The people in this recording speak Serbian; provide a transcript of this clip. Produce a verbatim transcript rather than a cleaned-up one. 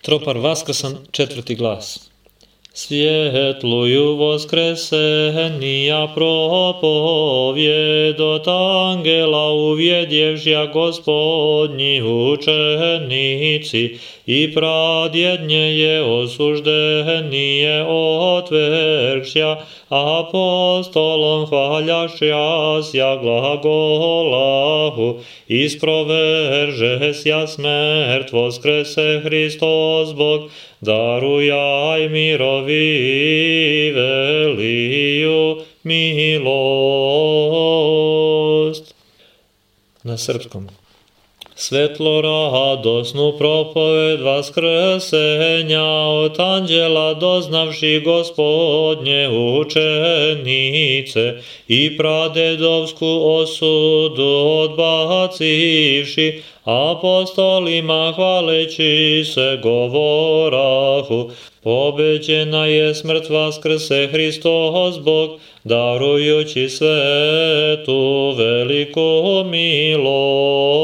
Tropar vaskrsan, četvrti glas. Svjetluju voskresenija propovjedot angela uvjedjevžja Gospodnji učenici i pradjednje osuždenije otveršja apostolom hvaljašja glagolahu isproveržesja smrt voskrese Hristos Bog darujaj mirovi veliju milost. Na srpskom. Svetlo radosnu propoved vaskrsenja od anđela doznavši Gospodnje učenice i pradedovsku osudu odbacivši, apostolima hvaleći se govorahu, pobeđena je smrt vaskrse Hristos Bog, darujući svetu veliku milost.